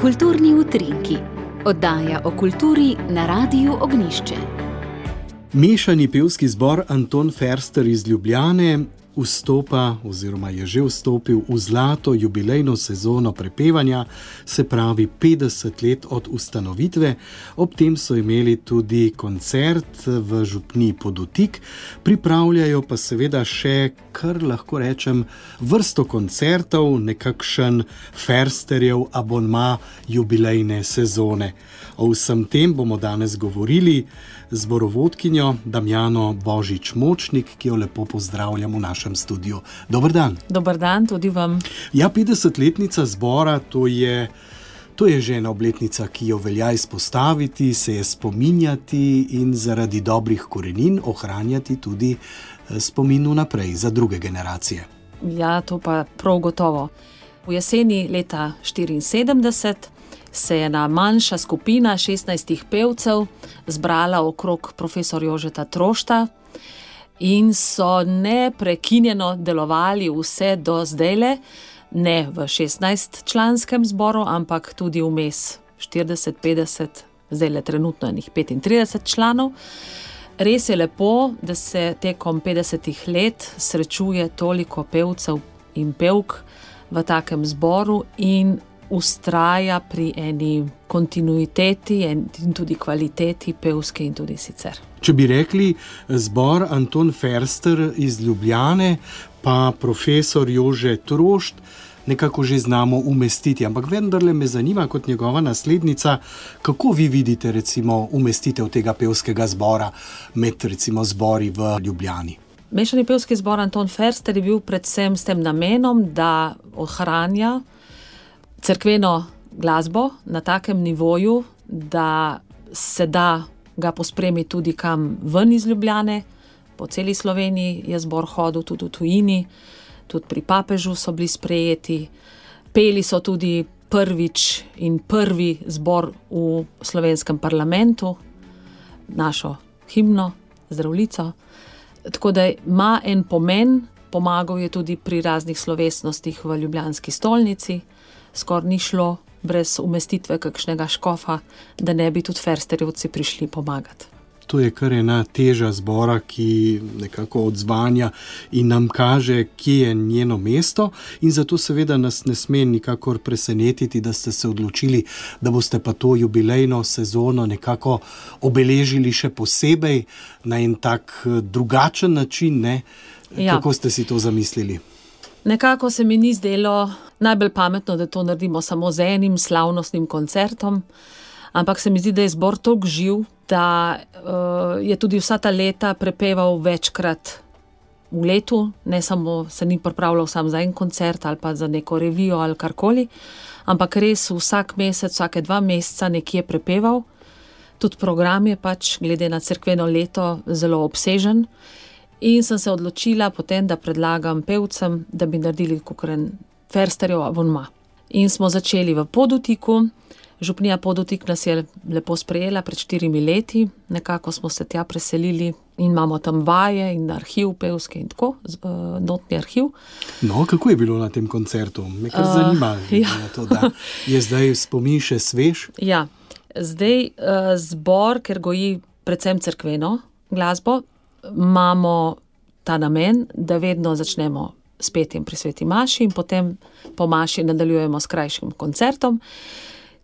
Kulturni utrinki. Oddaja o kulturi na Radiu Ognjišče. Mešani pevski zbor Anton Ferster iz Ljubljane vstopa oziroma je že vstopil v zlato jubilejno sezono prepevanja, se pravi 50 let od ustanovitve. Ob tem so imeli tudi koncert v župniji Podutik, pripravljajo pa seveda še, kar lahko rečem, vrsto koncertov, nekakšen Fersterjev abonma jubilejne sezone. O vsem tem bomo danes govorili z zborovodkinjo Damjano Božič-Močnik, ki jo lepo pozdravljam v našem studiu. Dober dan. Dober dan tudi vam. Ja, 50-letnica zbora, to je že ena obletnica, ki jo velja izpostaviti, se je spominjati in zaradi dobrih korenin ohranjati tudi spomin vnaprej za druge generacije. Ja, to pa prav gotovo. V jeseni leta 1974 se je ena manjša skupina 16 pevcev zbrala okrog profesor Jožeta Trošta in so neprekinjeno delovali vse do zdajle, ne v 16-članskem zboru, ampak tudi vmes 40, 50, zdajle trenutno enih 35 članov. Res je lepo, da se tekom 50 let srečuje toliko pevcev in pevk v takem zboru in ustraja pri eni kontinuiteti in tudi kvaliteti pevske in tudi sicer. Če bi rekli zbor Anton Ferster iz Ljubljane, pa profesor Jože Trošt, nekako že znamo umestiti, ampak vendarle me zanima kot njegova naslednica, kako vi vidite recimo umestitev tega pevskega zbora med recimo zbori v Ljubljani? Mešani pevski zbor Anton Ferster je bil predvsem s tem namenom, da ohranja cerkveno glasbo na takem nivoju, da se da ga pospremiti tudi kam ven iz Ljubljane. Po celi Sloveniji je zbor hodil, tudi v tujini, tudi pri papežu so bili sprejeti. Peli so tudi prvič in prvi zbor v slovenskem parlamentu, našo himno, Zdravljico. Tako da ima en pomen, pomagal je tudi pri raznih slovesnostih v ljubljanski stolnici. Skoraj ni šlo brez umestitve kakšnega škofa, da ne bi tudi Fersterjevci prišli pomagati. To je kar ena teža zbora, ki nekako odzvanja in nam kaže, kje je njeno mesto, in zato seveda nas ne sme nikakor presenetiti, da ste se odločili, da boste pa to jubilejno sezono nekako obeležili še posebej na en tak drugačen način, ne? Ja. Kako ste si to zamislili? Nekako se mi ni zdelo najbolj pametno, da to naredimo samo z enim slavnostnim koncertom, ampak se mi zdi, da je zbor toliko živ, da je tudi vsa ta leta prepeval večkrat v letu, ne samo se ni pripravljal sam za en koncert ali pa za neko revijo ali karkoli, ampak res vsak mesec, vsake 2 meseca nekje prepeval. Tudi program je pač glede na cerkveno leto zelo obsežen. In sem se odločila potem, da predlagam pevcem, da bi naredili kakšen Fersterjev abonma. In smo začeli v Podutiku. Župnija Podutik nas je lepo sprejela pred 4 leti. Nekako smo se tja preselili in imamo tam vaje in arhiv pevske in tako, notni arhiv. No, kako je bilo na tem koncertu? Me kar zanima, to, da je zdaj spomin še svež. Ja, zdaj zbor, ker goji predvsem cerkveno glasbo, imamo ta namen, da vedno začnemo s petjem pri sveti maši in potem po maši nadaljujemo s krajšim koncertom.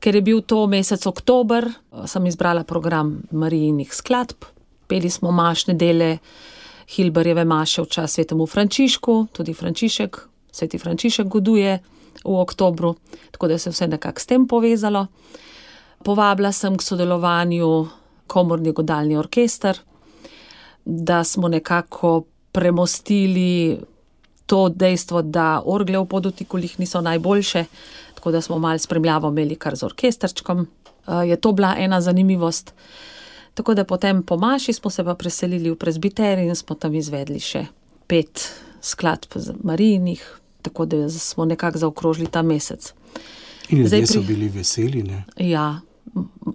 Ker je bil to mesec oktober, sem izbrala program Marijinih skladb. Peli smo mašne dele Hilbarjeve maše v čast svetemu Frančišku, tudi sveti Frančišek goduje v oktobru, tako da se vse nekako s tem povezalo. Povabila sem k sodelovanju komorni godalni orkester, da smo nekako premostili to dejstvo, da orgle v Podutiku niso najboljše, tako da smo malo spremljavo imeli kar z orkestrčkom. Je to bila ena zanimivost. Tako da potem po maši smo se pa preselili v presbiterij in smo tam izvedli še 5 skladb Marijinih, tako da smo nekako zaokrožili ta mesec. In ljudje so bili veseli, ne? Ja,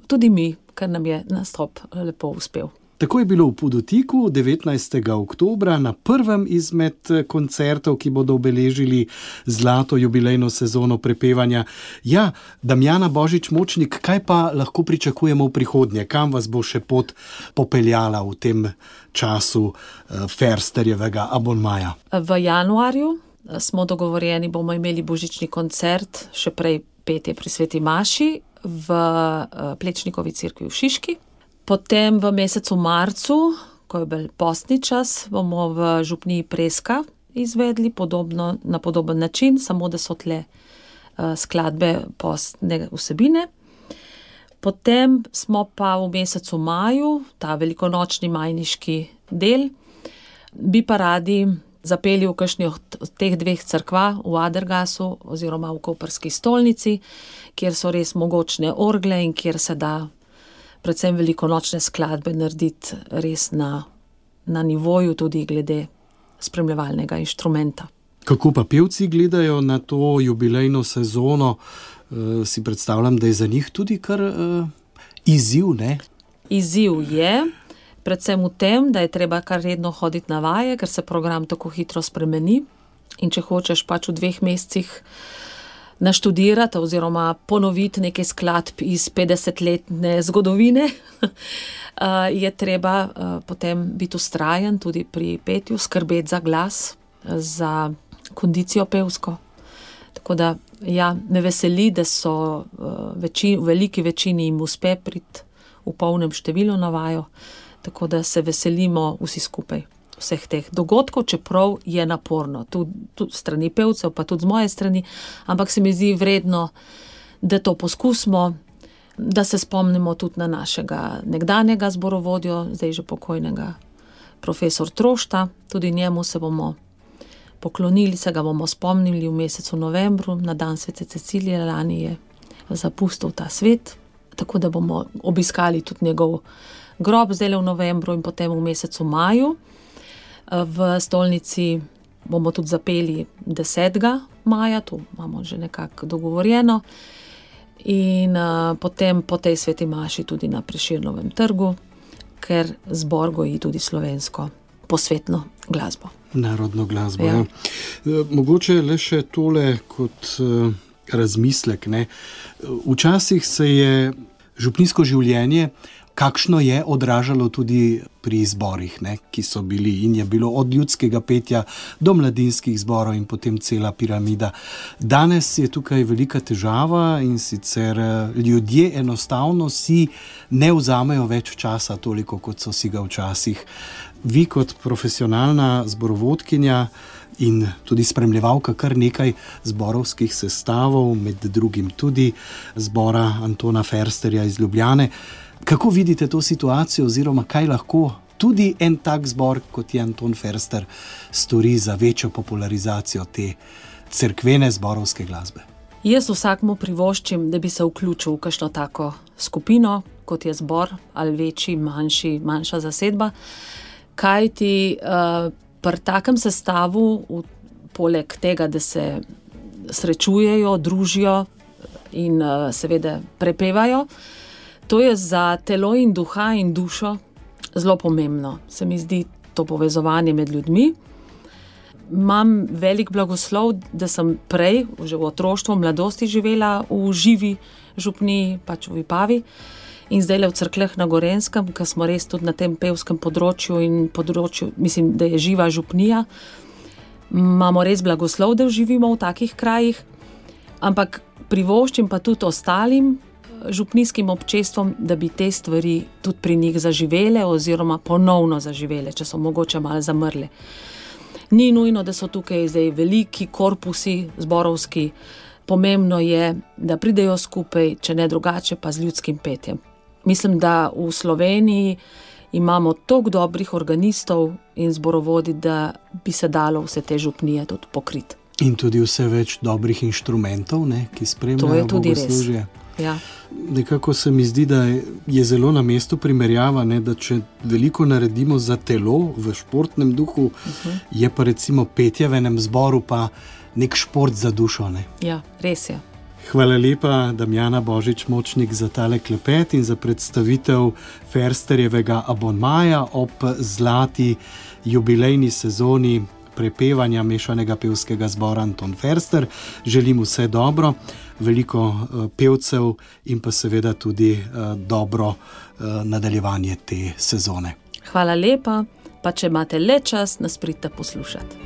tudi mi, ker nam je nastop lepo uspel. Tako je bilo v Podutiku 19. oktobra na prvem izmed koncertov, ki bodo obeležili zlato jubilejno sezono prepevanja. Ja, Damjana Božič-Močnik, kaj pa lahko pričakujemo v prihodnje? Kam vas bo še pot popeljala v tem času Fersterjevega abonmaja? V januarju smo dogovorjeni, bomo imeli božični koncert, še prej petje pri Sveti Maši v Plečnikovi cerkvi v Šiški. Potem v mesecu marcu, ko je bil postni čas, bomo v župniji Preska izvedli na podoben način, samo da so tle skladbe postne vsebine. Potem smo pa v mesecu maju, ta velikonočni majniški del, bi pa radi zapeli v kakšni od teh dveh cerkva, v Adergasu oziroma v Koprski stolnici, kjer so res mogočne orgle in kjer se da predvsem velikonočne skladbe narediti res na nivoju, tudi glede spremljevalnega inštrumenta. Kako pa pevci gledajo na to jubilejno sezono? Si predstavljam, da je za njih tudi kar izziv, ne? Izziv je, predvsem v tem, da je treba kar redno hoditi na vaje, ker se program tako hitro spremeni. In če hočeš pač v 2 mesecih naštudirati oziroma ponoviti nekaj skladb iz 50-letne zgodovine, je treba potem biti vztrajen tudi pri petju, skrbeti za glas, za kondicijo pevsko. Tako da, ja, me veseli, da so v veliki večini jim uspe priti v polnem številu na vajo, tako da se veselimo vsi skupaj vseh teh dogodkov, čeprav je naporno, tudi strani pevcev, pa tudi z moje strani, ampak se mi zdi vredno, da to poskusimo, da se spomnimo tudi na našega nekdanjega zborovodjo, zdaj že pokojnega profesor Trošta, tudi njemu se bomo poklonili, se ga bomo spomnili v mesecu novembru, na dan Svete Cecilije, lani je zapustil ta svet, tako da bomo obiskali tudi njegov grob zdaj v novembru in potem v mesecu maju. V stolnici bomo tudi zapeli 10. maja, to imamo že nekako dogovorjeno, in potem po tej Sveti Maši tudi na Prešernovem trgu, ker zbor goji tudi slovensko posvetno glasbo. Narodno glasbo, ja. Mogoče le še tole kot razmislek, ne. Včasih se je župnijsko življenje, kakšno je, odražalo tudi pri zborih, ne, ki so bili, in je bilo od ljudskega petja do mladinskih zborov in potem cela piramida. Danes je tukaj velika težava, in sicer ljudje enostavno si ne vzamejo več časa toliko, kot so si ga včasih. Vi kot profesionalna zborovodkinja in tudi spremljevalka kar nekaj zborovskih sestavov, med drugim tudi zbora Antona Fersterja iz Ljubljane, kako vidite to situacijo oziroma kaj lahko tudi en tak zbor, kot je Anton Ferster, stori za večjo popularizacijo te cerkvene zborovske glasbe? Jaz vsakmu privoščim, da bi se vključil v kakšno tako skupino, kot je zbor, ali večji, manjša zasedba, kajti pri takem sestavu, poleg tega, da se srečujejo, družijo in seveda prepevajo, to je za telo in duha in dušo zelo pomembno. Se mi zdi to povezovanje med ljudmi. Imam velik blagoslov, da sem prej, že v otroštvu, mladosti živela v živi župniji, pač v Vipavi, in zdaj v Cerkljah na Gorenjskem, ker smo res tudi na tem pevskem področju in področju, mislim, da je živa župnija. Imamo res blagoslov, da živimo v takih krajih, ampak privoščim pa tudi ostalim župnijskim občestvom, da bi te stvari tudi pri njih zaživele oziroma ponovno zaživele, če so mogoče malo zamrle. Ni nujno, da so tukaj zdaj veliki korpusi zborovski, pomembno je, da pridejo skupaj, če ne drugače, pa z ljudskim petjem. Mislim, da v Sloveniji imamo toliko dobrih organistov in zborovodi, da bi se dalo vse te župnije tudi pokriti. In tudi vse več dobrih inštrumentov, ne, ki spremljajo bogoslužje. Ja. Nekako se mi zdi, da je zelo na mestu primerjava, ne, da če veliko naredimo za telo v športnem duhu, je pa recimo petje v enem zboru pa nek šport za dušo. Ne. Ja, res je. Hvala lepa, Damjana Božič-Močnik, za tale klepet in za predstavitev Fersterjevega abonmaja ob zlati jubilejni sezoni prepevanja mešanega pevskega zbora Anton Ferster. Želim vse dobro, veliko pevcev in pa seveda tudi dobro nadaljevanje te sezone. Hvala lepa, pa če imate le čas, nas pridite poslušati.